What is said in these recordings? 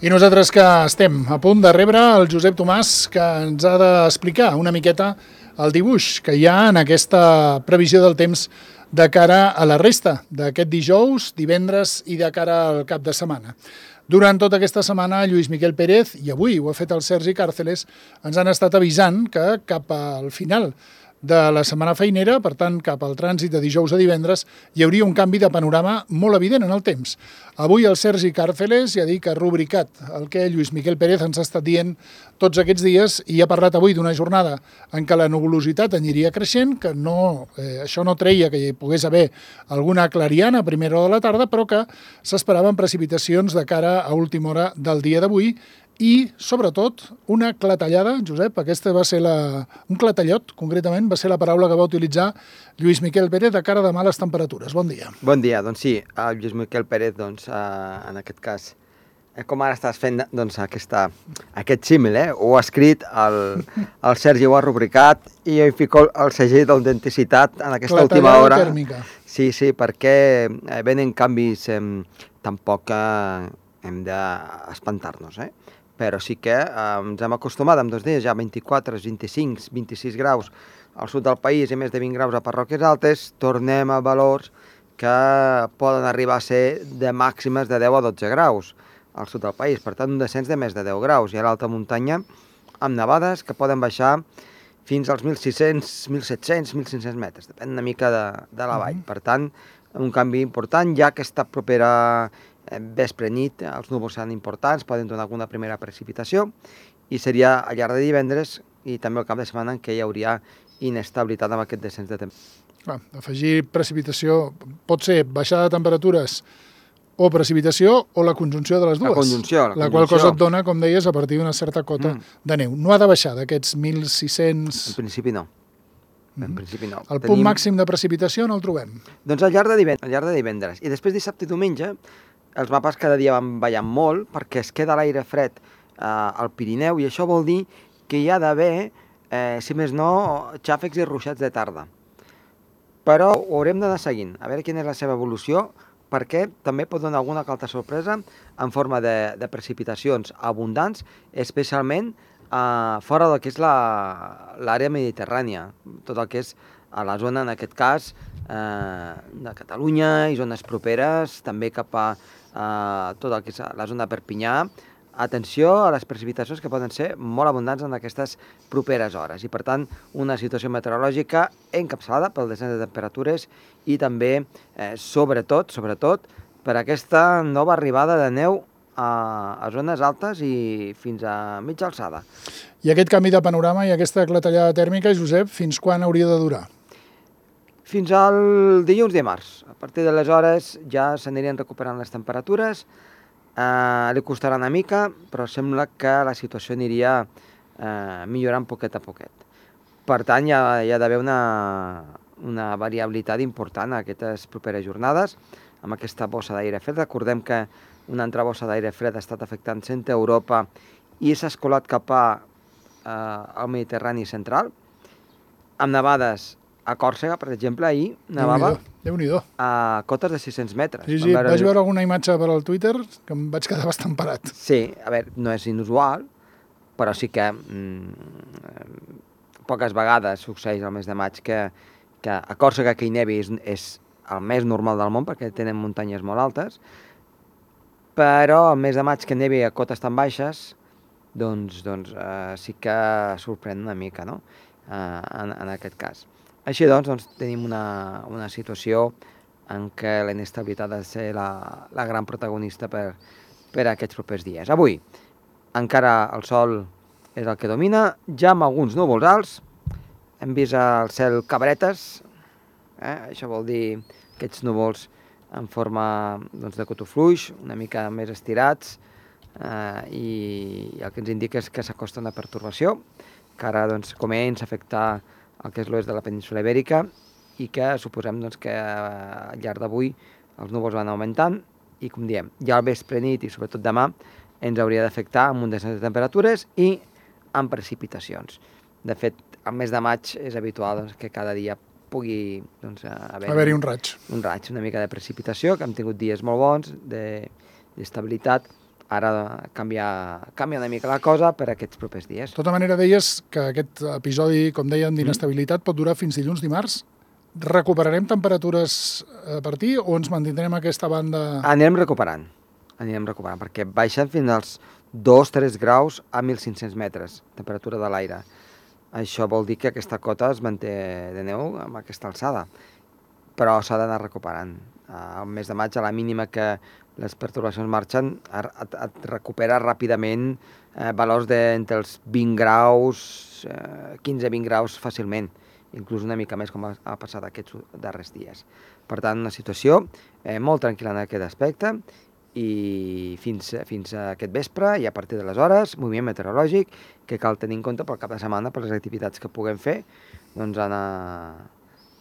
I nosaltres que estem a punt de rebre el Josep Tomàs, que ens ha d'explicar una miqueta el dibuix que hi ha en aquesta previsió del temps de cara a la resta d'aquest dijous, divendres i de cara al cap de setmana. Durant tota aquesta setmana, Lluís Miquel Pérez, i avui ho ha fet el Sergi Càrceles, ens han estat avisant que cap al final de la setmana feinera, per tant, cap al trànsit de dijous a divendres, hi hauria un canvi de panorama molt evident en el temps. Avui el Sergi Càrceles ja ha dit que ha rubricat el que Lluís Miquel Pérez ens ha estat dient tots aquests dies i ha parlat avui d'una jornada en què la nuvolositat aniria creixent, que això no treia que hi pogués haver alguna clariana a primera hora de la tarda, però que s'esperaven precipitacions de cara a última hora del dia d'avui i, sobretot, una clatellada, Josep, aquesta va ser un clatellot, concretament, va ser la paraula que va utilitzar Lluís Miquel Pérez de cara de males temperatures. Bon dia. Bon dia, doncs sí, el Lluís Miquel Pérez, doncs, en aquest cas, com ara estàs fent doncs, aquest símil, ho ha escrit, el Sergi ho ha rubricat i jo hi fico el segell d'autenticitat en aquesta última hora. Clatellada tèrmica. Sí, perquè venen canvis, tampoc hem d'espantar-nos, però sí que ens hem acostumat en 2 dies, ja 24, 25, 26 graus al sud del país i més de 20 graus a parròquies altes, tornem a valors que poden arribar a ser de màximes de 10 a 12 graus al sud del país, per tant un descens de més de 10 graus, i a l'alta muntanya amb nevades que poden baixar fins als 1.600, 1.700, 1.500 metres, depèn una mica de la vall. Per tant, un canvi important, ja que està propera vespre nit, els núvols seran importants, poden donar alguna primera precipitació, i seria al llarg de divendres i també al cap de setmana en què hi hauria inestabilitat amb aquest descens de temperatura. Afegir precipitació pot ser baixada de temperatures o precipitació o la conjunció de les dues. La conjunció. La qual cosa et dona, com deies, a partir d'una certa cota de neu. No ha de baixar d'aquests 1.600... En principi no. En principi no. El punt màxim de precipitació no el trobem? Doncs al llarg de divendres. I després dissabte i diumenge els mapes cada dia van ballant molt perquè es queda l'aire fred al Pirineu i això vol dir que hi ha d'haver, si més no, xàfecs i ruixats de tarda. Però ho haurem d'anar seguint, a veure quina és la seva evolució, perquè també pot donar alguna altra sorpresa en forma de precipitacions abundants, especialment fora del que és l'àrea mediterrània, tot el que és a la zona, en aquest cas, de Catalunya i zones properes, també cap a tot el que és la zona de Perpinyà. Atenció a les precipitacions que poden ser molt abundants en aquestes properes hores i, per tant, una situació meteorològica encapçalada pel descens de temperatures i també, sobretot, per aquesta nova arribada de neu a zones altes i fins a mitja alçada. I aquest canvi de panorama i aquesta clatellada tèrmica, Josep, fins quan hauria de durar? Fins al dilluns de març. A partir d'aleshores ja s'anirien recuperant les temperatures, li costarà una mica, però sembla que la situació aniria millorant poquet a poquet. Per tant, hi ha d'haver una variabilitat important a aquestes properes jornades, amb aquesta bossa d'aire fred. Recordem que una altra bossa d'aire fred ha estat afectant centre Europa i s'ha escolat cap al Mediterrani central, amb nevades a Còrsega, per exemple, ahir nevava a cotes de 600 metres. Sí, vaig veure alguna imatge per al Twitter que em vaig quedar bastant parat. Sí, a veure, no és inusual, però sí que poques vegades succeeix al mes de maig que a Còrsega que hi nevi és el més normal del món perquè tenen muntanyes molt altes, però el mes de maig que nevi a cotes tan baixes doncs sí que sorprèn una mica, no?, en aquest cas. Així doncs tenim una situació en què la inestabilitat ha de ser la gran protagonista per aquests propers dies. Avui encara el sol és el que domina, ja amb alguns núvols alts, hem vist el cel cabretes, això vol dir aquests núvols en forma de cotofluix, una mica més estirats, i el que ens indica és que s'acosta una pertorbació, que ara comença a afectar el que és l'oest de la península Ibèrica i que suposem que al llarg d'avui els núvols van augmentant i, com diem, ja al vespre nit i sobretot demà ens hauria d'afectar amb un descens de temperatures i amb precipitacions. De fet, al mes de maig és habitual que cada dia pugui haver-hi un raig. Un raig, una mica de precipitació, que hem tingut dies molt bons, d'estabilitat, ara canvia una mica la cosa per aquests propers dies. De tota manera, deies que aquest episodi, com dèiem, d'inestabilitat pot durar fins dilluns, dimarts. Recuperarem temperatures a partir o ens mantindrem aquesta banda? Anirem recuperant, perquè baixen fins als 2-3 graus a 1.500 metres, temperatura de l'aire. Això vol dir que aquesta cota es manté de neu amb aquesta alçada, però s'ha d'anar recuperant. Al mes de maig, a la mínima que les pertorbacions marxen, et recupera ràpidament valors d'entre els 20 graus, 15-20 graus fàcilment, inclús una mica més com ha passat aquests darrers dies. Per tant, una situació molt tranquil·la en aquest aspecte i fins a aquest vespre i a partir de les hores, moviment meteorològic que cal tenir en compte pel cap de setmana per les activitats que puguem fer, doncs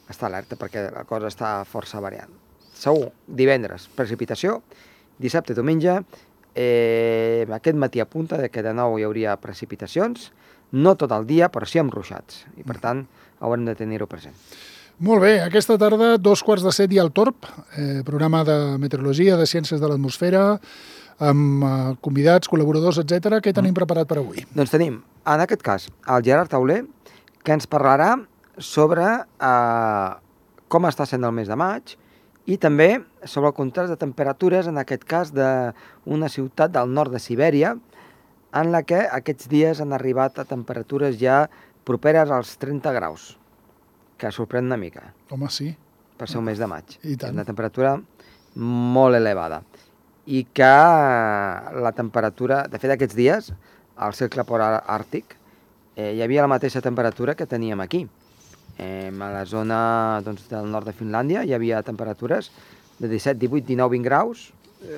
estar alerta perquè la cosa està força variant. Segur, divendres, precipitació, dissabte i diumenge, aquest matí apunta que de nou hi hauria precipitacions, no tot el dia, però sí amb ruixats, i per tant haurem de tenir-ho present. Molt bé, aquesta tarda, 6:45 hi ha el Torb, programa de meteorologia, de ciències de l'atmosfera, amb convidats, col·laboradors, etc. Què tenim preparat per avui? Doncs tenim, en aquest cas, el Gerard Tauler, que ens parlarà sobre com està sent el mes de maig i també sobre el contrast de temperatures, en aquest cas d'una ciutat del nord de Sibèria, en la que aquests dies han arribat a temperatures ja properes als 30 graus, que sorprèn una mica. Home, sí. Per ser un mes de maig. I tant. És una temperatura molt elevada. I que la temperatura, de fet aquests dies, al cercle polar àrtic, hi havia la mateixa temperatura que teníem aquí. A la zona del nord de Finlàndia hi havia temperatures de 17, 18, 19, 20 graus,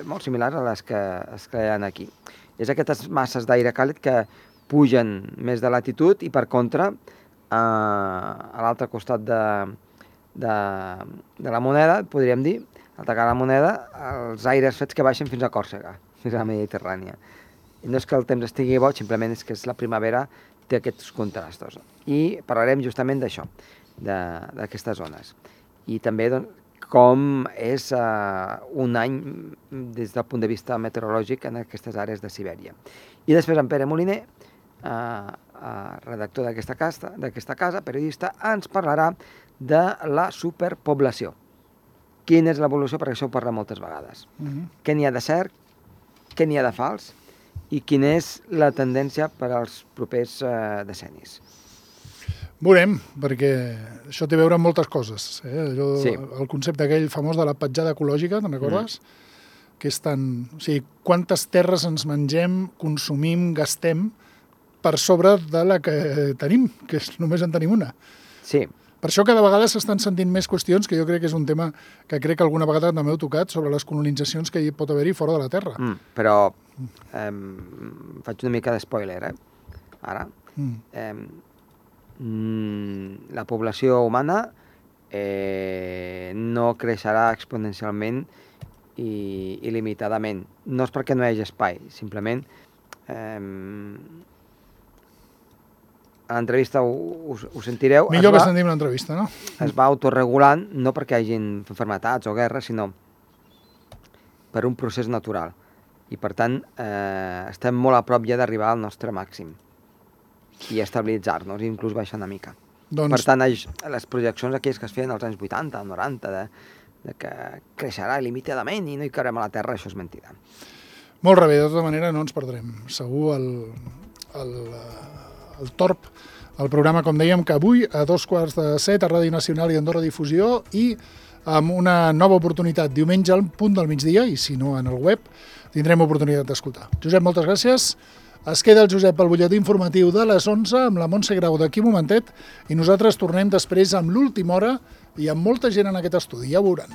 molt similars a les que es creen aquí. És aquestes masses d'aire càlid que pugen més de latitud i, per contra, a l'altre costat de la moneda, podríem dir, al tacar la moneda, els aires freds que baixen fins a Còrsega, fins a la Mediterrània. I no és que el temps estigui bo, simplement és que la primavera té aquests contrastos. I parlarem justament d'això, d'aquestes zones. I també com és un any des del punt de vista meteorològic en aquestes àrees de Sibèria. I després en Pere Moliner, redactor d'aquesta casa, periodista, ens parlarà de la superpoblació. Quina és l'evolució? Perquè això ho parla moltes vegades. Què n'hi ha de cert, què n'hi ha de fals i quina és la tendència per als propers decennis. Veurem, perquè això té a veure amb moltes coses. Sí. El concepte aquell famós de la petjada ecològica, te'n recordes? Que és tant... O sigui, quantes terres ens mengem, consumim, gastem per sobre de la que tenim, que només en tenim una. Sí. Per això cada vegada s'estan sentint més qüestions, que jo crec que és un tema que crec que alguna vegada també heu tocat, sobre les colonitzacions que hi pot haver-hi fora de la Terra. Però faig una mica d'espoiler, ara. La població humana no creixerà exponencialment i il·limitadament. No és perquè no hi hagi espai, simplement a l'entrevista ho sentireu. Millor que sentim l'entrevista, no? Es va autorregulant, no perquè hi hagin malalties o guerres, sinó per un procés natural. I, per tant, estem molt a prop ja d'arribar al nostre màxim i estabilitzar-nos, inclús baixar una mica. Per tant, les projeccions aquelles que es feien als anys 80, 90, de que creixerà il·limitadament i no hi caurem a la Terra, això és mentida. Molt bé, de tota manera no ens perdrem. Segur el Torb, el programa, com dèiem, que avui a 6:45 a Ràdio Nacional i Andorra Difusió i amb una nova oportunitat diumenge al punt del migdia i si no en el web tindrem oportunitat d'escoltar. Josep, moltes gràcies. Es queda el Josep al butlletí informatiu de les 11 amb la Montse Grau d'aquí un momentet i nosaltres tornem després amb l'última hora i amb molta gent en aquest estudi, ja ho veuran.